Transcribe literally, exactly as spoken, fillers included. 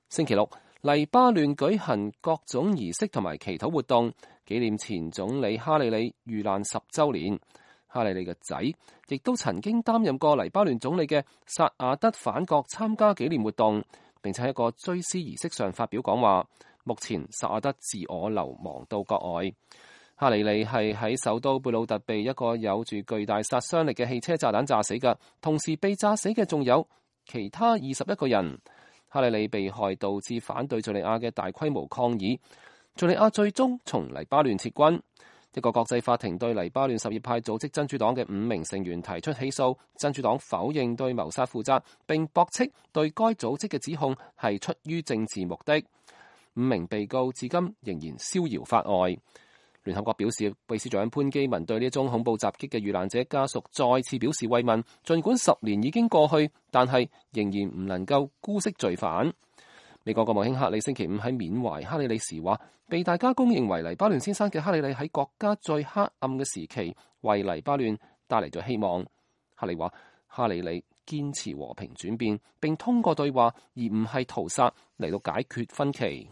星期六，黎巴嫩舉行各種儀式同埋祈禱活動，紀念前總理哈里里遇難十週年。哈里里嘅仔亦都曾經擔任過黎巴嫩總理嘅薩亞德返國參加紀念活動，並且喺一個追思儀式上發表講話。目前薩亞德自我流亡到國外。哈里里係喺首都貝魯特被一個有住巨大殺傷力嘅汽車炸彈炸死嘅，同時被炸死嘅仲有其他二十一個人。哈里里被害導致反對敘利亞嘅大規模抗議，敘利亞最終從黎巴嫩撤軍。一個國際法庭對黎巴嫩什葉派組織真主黨嘅五名成員提出起訴，真主黨否認對謀殺負責，並駁斥對該組織嘅指控係出於政治目的。五名被告至今仍然逍遙法外。聯合國表示，秘書長潘基文對呢宗恐怖襲擊嘅遇難者家屬再次表示慰問，儘管十年已經過去，但係仍然唔能夠姑息罪犯。美國國務卿克里星期五喺緬懷哈里里時話，被大家公認為黎巴嫩先生嘅哈里里喺國家最黑暗嘅時期，為黎巴嫩帶嚟咗希望。克里話，哈里里堅持和平轉變，並通過對話而唔係屠殺嚟到解決分歧。